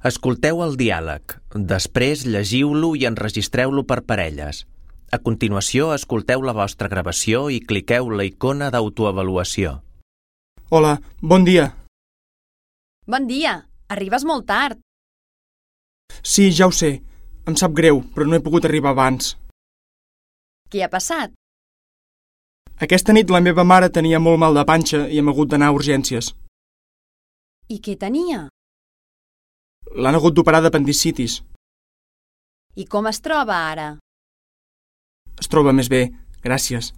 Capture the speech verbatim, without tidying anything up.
Escolteu el diàleg. Després llegiu-lo i enregistreu-lo per parelles. A continuació, escolteu la vostra gravació i cliqueu la icona d'autoavaluació. Hola, bon dia. Bon dia. Arribes molt tard. Sí, ja ho sé. Em sap greu, però no he pogut arribar abans. Què ha passat? Aquesta nit la meva mare tenia molt mal de panxa i hem hagut d'anar a urgències. I què tenia? L'han hagut d'operar d'apendicitis. I com es troba ara? Es troba més bé, gràcies.